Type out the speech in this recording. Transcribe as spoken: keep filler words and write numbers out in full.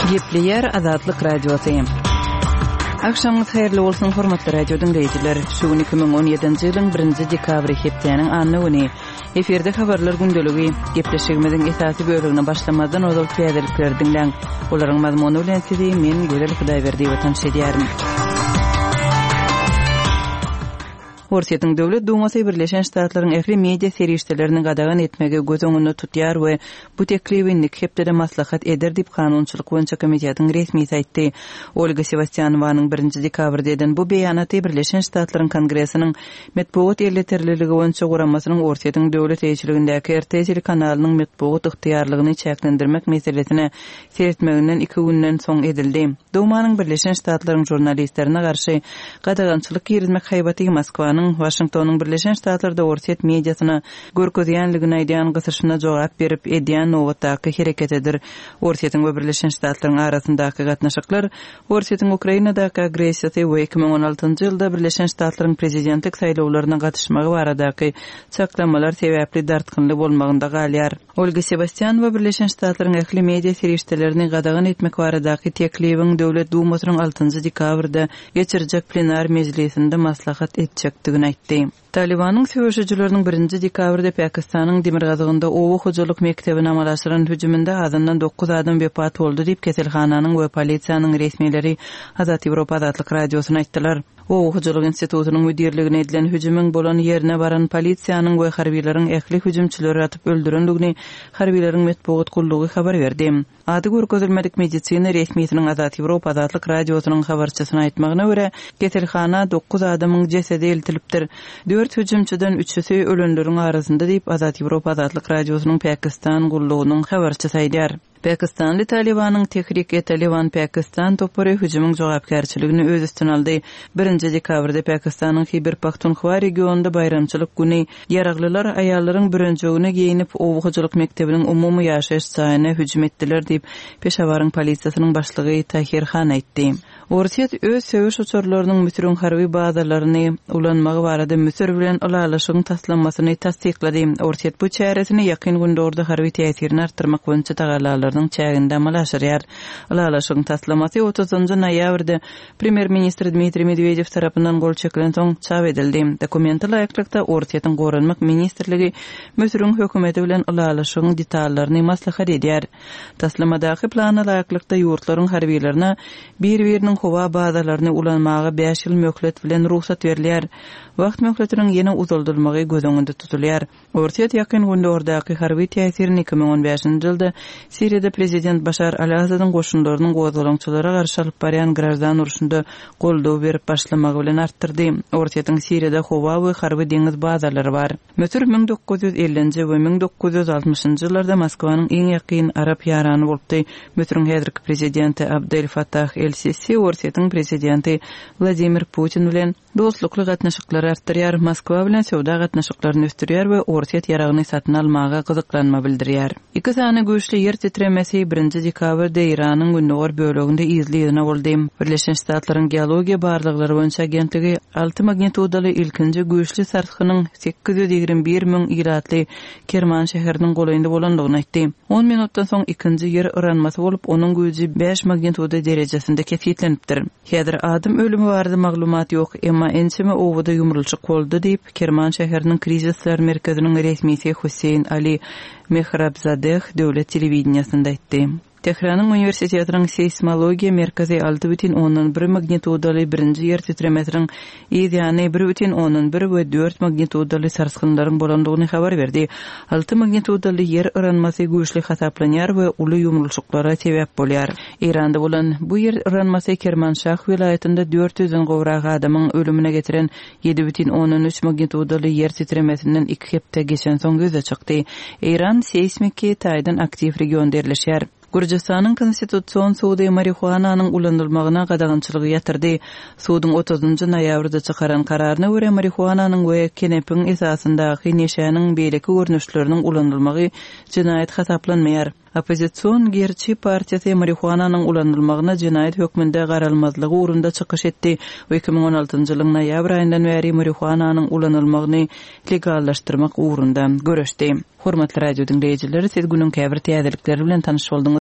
Gepleýär Azatlyk Radiosy. Agşamyňyz haýyrly bolsun, hormatly radio diňleýjiler. Şu gün iki müň on ýedinji ýylyň birinji dekabry hepdäniň anna güni. Efirde habarlar gündeligi. Gepleşigimiziň esasy bölegine başlamazdan ozal täzelikleri diňläň. Olaryň mazmuny bilen sizi men Gözel Hudaýberdiýewa tanyş edýärin. Orsýetiň Döwlet Dumasy Birleşen Ştatlaryň ähli media serişdelerini gadagan etmegi göz öňünde tutýar we bu teklibi indiki hepdede maslahat eder diýip, Kanunçylyk boýunça komitetiň resmisi aýtdy. Olga Sewastýanowanyň birinji dekabrda eden bu beýanaty Birleşen Ştatlaryň Kongresiniň Metbugat elýeterliligi boýunça guramasynyň Orsýetiň döwlet eýeçiligindäki R T telekanalynyň metbugat ygtyýarlygyny çäklendirmek meselesine seretmeginden iki günden soň edildi. Dumanyň Birleşen Ştatlaryň žurnalistlerine garşy gadagançylyk girizmek haýbaty Moskwanyň Waşingtonyň Birleşen Ştatlarda Orsýet mediasyna görkezýänligini aýdýan gysyşyna jogap berip edýän nobatdaky hereketidir. Orsýetiň we Birleşen Ştatlaryň arasyndaky gatnaşyklar Orsýetiň Ukrainadaky agressiýasy we iki müň on altynjy ýylda Birleşen Ştatlaryň prezidentlik saýlawlaryna gatyşmagy baradaky çaklamalar sebäpli dartgynly bolmagynda galýar. Olga Sewastýanowa Birleşen Ştatlaryň ähli media serişdelerini gadagan etmek baradaky teklibiň Döwlet Dumasynyň altynjy dekabrda geçirjek plenar mejlisinde maslahat etjekdigini aýtdy. Talibanyň söweşijileriniň birinji dekabrda Pakistanyň demirgazygynda oba hojalyk mekdebine amala aşyran hüjüminde azyndan dokuz adam wepat boldy diýip keselhananyň we polisiýanyň resmileri Azat Ýewropa Azatlyk Radiosyna aýtdylar. Oba hojalyk institutynyň müdirligine edilen hüjümiň bolan ýerine baran polisiýanyň we harbiýlaryň ähli hüjümçileri atyp öldürendigini harbiýlaryň metbugat gullugy habar berdi. Ady görkezilmedik medisina resmisiniň Azat Ýewropa Azatlyk Radiosynyň habarçysyna aýtmagyna görä, keselhana dokuz adamyň jesedi eltilipdir. Dört hüjümçiden üçüsi ölenleriň arasynda diýip Azat Ýewropa Azatlyk Radiosynyň Pakistan gullugynyň habarçysy aýdýar. Pakistanly Talibanyň Tehrik-e Taliban Pakistan topary hüjümiň jogapkärçiligini öz üstüne aldy. Birinji dekabrda Pakistanyň Hiber Pakhtunkhwa regionynda baýramçylyk güni ýaraglylar aýallaryň bürenjegine geýinip oba hojalyk mekdebiniň umumy ýaşaýyş jaýyna hüjüm etdiler diýip Peşawaryň polisiýasynyň başlygy Tahir Han aýtdy. Orsýet öz söweş uçarlarynyň Müsüriň harby bazalaryny ulanmagy barada Müsür bilen ylalaşygyň taslamasyny tassyklady. Orsýet bu çäresini ýakyn gündogda harby täsirini artdyrmak boýunça tagalalarynyň çäginde amala aşyrýar. Ylalaşygyň taslamasy otuzynjy noýabrda Premýer-ministr Dmitriý Medwedew tarapyndan gol çekilen soň çap edildi. Dokumente laýyklykda Orsýetiň Goranmak ministrligi Müsüriň hökümeti bilen ylalaşygyň detallaryny maslahat edýär. Taslamadaky plana laýyklykda ýurtlaryň harbiýlaryna bir-biriniň howa bazalaryny ulanmaga bäş ýyl möhlet bilen rugsat berilýär. Wagt möhletiniň ýene uzaldylmagy göz öňünde tutulýar. Orsýet ýakyn gündogdaky harby täsirini iki müň on bäşinji ýylda Siriýada prezident Başar al-Asadyň goşunlarynyň gozgalaňçylara garşy alyp barýan graždan urşunda goldaw berip başlamagy bilen artdyrdy. Orsýetiň Siriýada howa we harby deňiz bazalary bar. Müsür müň dokuz ýüz ellinji we müň dokuz ýüz altmyşynjy ýyllarda Moskwanyň iň ýakyn arap ýarany bolupdy. Müsüriň häzirki prezidenti Abdel Fattah el-Sisi Orsýetiň prezidenti Wladimir Putin bilen dostlukly gatnaşyklary artdyrýar, Moskwa bilen söwda gatnaşyklaryny ösdürýär we Orsýet ýaragyny satyn almaga gyzyklanma bildirýär. Iki sany güýçli ýer titremesi birinji dekabrda Eýranyň gündogar böleginde yzly-yzyna boldy. Birleşen Ştatlaryň geologiýa barlaglary boýunça agentligi alty magnitudaly ilkinji güýçli sarsgynyň sekiz ýüz ýigrimi bir müň ilatly Kerman şäheriniň golaýynda bolandygyny aýtdy. On minutdan soň ikinji ýer yranmasy bolup, onuň güýji bäş magnituda derejesinde kesgitlenipdir. Häzir adam ölümi barada maglumat ýok, emma ençeme owada ýumrulçyk boldy diýip, Kerman şäheriniň krizisler merkeziniň resmisi Hüseýin Ali Mehrabzadeh döwlet telewideniýasynda aýtdy. Tehranyň uniwersitetiniň seýsmologiýa merkezi alty bütin ondan bir magnitudaly birinji ýer titremesiniň yz ýany bir bütin ondan bir we dört magnitudaly sarsgynlaryň bolandygyny habar berdi. Alty magnitudaly ýer yranmasy güýçli hasaplanýar we uly ýumrulçyklara sebäp bolýar. Eýranda bolan bu ýer yranmasy Kermanşah welaýatynda dört ýüzden gowrak adamyň ölümine getiren ýedi bütin ondan üç magnitudaly ýer titremesinden iki hepde geçen soň ýüze çykdy. Eýran seýsmiki taýdan aktiw regionda ýerleşýär. Gürjüstanyň Konstitusion sudy marihuananyň ulanylmagyna gadagançylygy ýatyrdy. Suduň otuzynjy noýabrda çykaran kararyna görä marihuananyň we kenepiň esasyndaky neşäniň beýleki görnüşleriniň ulanylmagy jenaýat hasaplanmaýar. Oppozision Gerçi partiýasy marihuananyň ulanylmagyna jenaýat hökmünde garalmazlygy ugrunda çykyş etdi we iki müň on altynjy ýylyň noýabr aýyndan bäri marihuananyň ulanylmagyny legallaşdyrmak ugrunda göreşdi. Hormatly radio diňleýjiler, siz günüň käbir täzelikleri bilen tanyş bolduňyz.